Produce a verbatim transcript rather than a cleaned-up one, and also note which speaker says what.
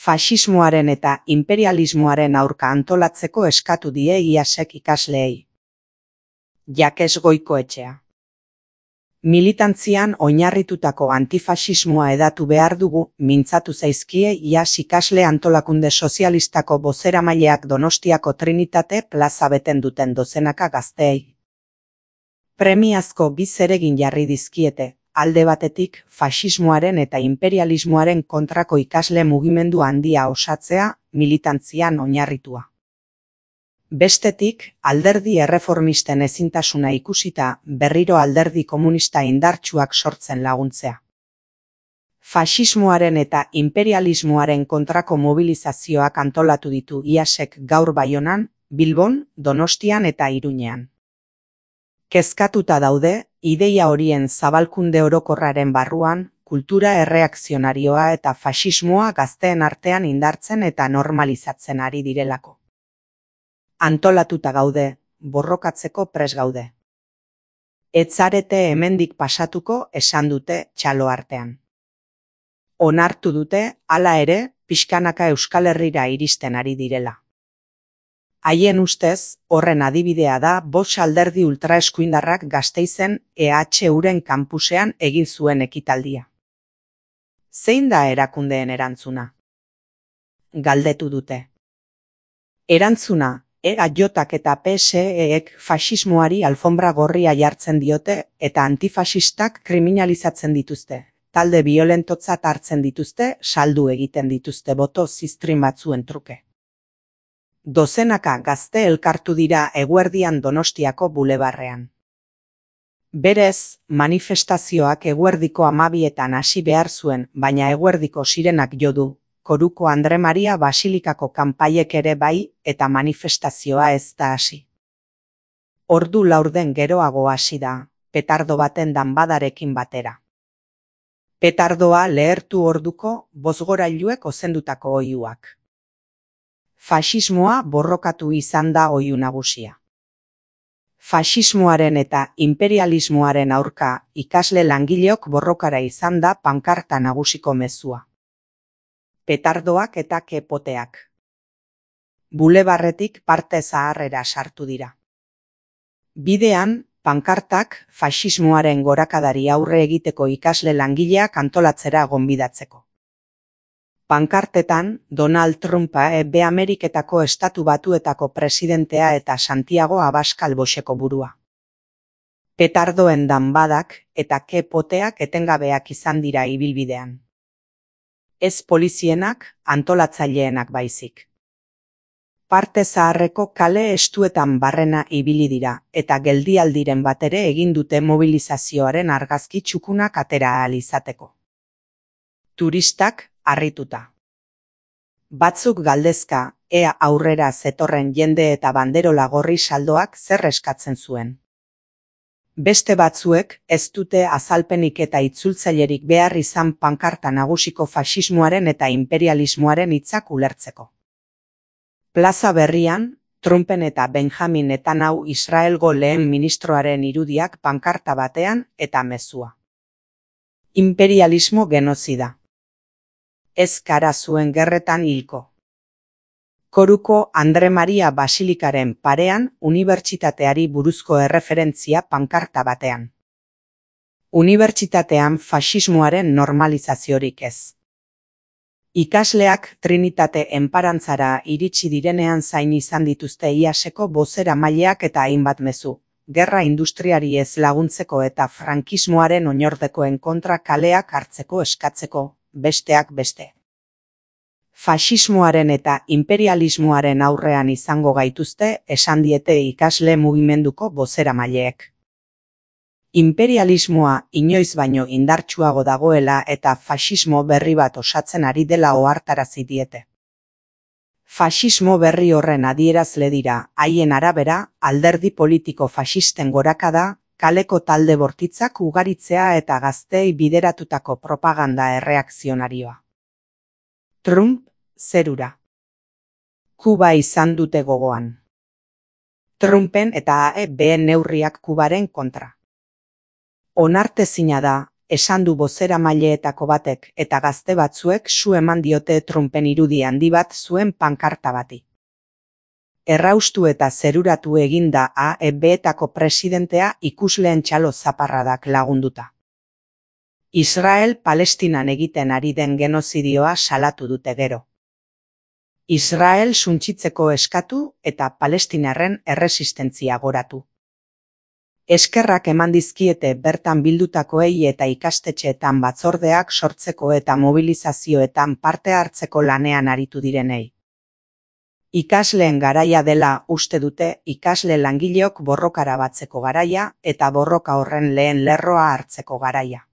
Speaker 1: Faxismoaren eta imperialismoaren aurka antolatzeko eskatu die IASek ikasleei. Jakes Goikoetxea. Militantzian oinarritutako antifaxismoa hedatu behar dugu, mintzatu zaizkie IAS ikasle antolakunde sozialistako bozeramaileak Donostiako Trinitate plaza beten duten dozenaka gazteei. Premiazko bi zeregin jarri dizkiete, alde batetik faxismoaren eta imperialismoaren kontrako ikasle mugimendu handia osatzea, militantzian oinarritua. Bestetik, alderdi erreformisten ezintasuna ikusita berriro alderdi komunista indartsuak sortzen laguntzea. Faxismoaren eta imperialismoaren kontrako mobilizazioak antolatu ditu IASek gaur Baionan, Bilbon, Donostian eta Iruñean. Kezkatuta daude, ideia horien zabalkunde orokorraren barruan, kultura erreakzionarioa eta faxismoa gazteen artean indartzen eta normalizatzen ari direlako. Antolatuta gaude, borrokatzeko pres gaude. Etzarete hemendik pasatuko esan dute txalo artean. Onartu dute, hala ere, pixkanaka Euskal Herrira iristen ari direla. Haien ustez, horren adibidea da Bosch alderdi ultraeskuindarrak Gasteizen E H Uren kanpusean egin zuen ekitaldia. Zein da erakundeen erantzuna? Galdetu dute. Erantzuna, E H eta P S Ek faxismoari alfombra gorria jartzen diote eta antifaxistak kriminalizatzen dituzte. Talde biolentotzat hartzen dituzte, saldu egiten dituzte boto ziztrin batzuen truke. Dozenaka gazte elkartu dira eguerdian Donostiako bulebarrean. Berez, manifestazioak eguerdiko hamabietan hasi behar zuen, baina eguerdiko sirenak jo du, Koruko Andre Maria Basilikako kanpaiek ere bai, eta manifestazioa ez da hasi. Ordu laurden geroago hasi da, petardo baten danbadarekin batera. Petardoa lehertu orduko bozgorailuek ozendutako oihuak. Faxismoa borrokatu izan da oihu nagusia. Faxismoaren eta imperialismoaren aurka ikasle langileok borrokara izan da pankarta nagusiko mezua. Petardoak eta kepoteak. Bulebarretik parte zaharrera sartu dira. Bidean, pankartak faxismoaren gorakadari aurre egiteko ikasle langileak antolatzera gonbidatzeko. Pankartetan, Donald Trumpa Ebe Ameriketako Estatu Batuetako presidentea eta Santiago Abascal Boxeko burua. Petardoen danbadak eta kepoteak etengabeak izan dira ibilbidean. Ez polizienak, antolatzaileenak baizik. Parte zaharreko kale estuetan barrena ibili dira, eta geldialdiren batere egin dute mobilizazioaren argazki txukunak atera ahal izateko. Turistak, harrituta. Batzuk galdezka, ea aurrera zetorren jende eta banderola gorri saldoak zer eskatzen zuen. Beste batzuek ez dute azalpenik eta itzultzailerik behar izan pankarta nagusiko faxismoaren eta imperialismoaren hitzak ulertzeko. Plaza berrian, Trumpen eta Benjamin Netanyahu Israelgo lehen ministroaren irudiak pankarta batean eta mezua. Imperialismo genozida. Ez kara zuen gerretan hilko. Koruko Andre Maria Basilikaren parean unibertsitateari buruzko erreferentzia pankarta batean. Unibertsitatean faxismoaren normalizaziorik ez. Ikasleak Trinitate enparantzara iritsi direnean zain izan dituzte IASeko bozeramaileak eta hainbat mezu, gerra industriari ez laguntzeko eta frankismoaren oinordekoen kontra kaleak hartzeko eskatzeko, besteak beste. Faxismoaren eta imperialismoaren aurrean izango gaituzte esan diete ikasle mugimenduko bozeramaileek. Imperialismoa inoiz baino indartsuago dagoela eta faxismo berri bat osatzen ari dela ohartarazi diete. Faxismo berri horren adierazle dira, haien arabera, alderdi politiko faxisten gorakada, kaleko talde bortitzak ugaritzea eta gazteei bideratutako propaganda erreakzionarioa. Trump, zerura. Kuba izan dute gogoan. Trumpen eta A E B neurriak Kubaren kontra. Onartezina da, esan du bozeramaileetako batek, eta gazte batzuek su eman diote Trumpen irudi handi bat zuen pankarta bati. Erraustu eta zeruratu eginda A E B-etako presidentea ikusleen txalo zaparradak lagunduta. Israel Palestinan egiten ari den genozidioa salatu dute gero. Israel suntsitzeko eskatu eta palestinarren erresistentzia goratu. Eskerrak eman dizkiete bertan bildutakoei eta ikastetxeetan batzordeak sortzeko eta mobilizazioetan parte hartzeko lanean aritu direnei. Ikasleen garaia dela uste dute ikasle langileok borrokara batzeko garaia eta borroka horren lehen lerroa hartzeko garaia.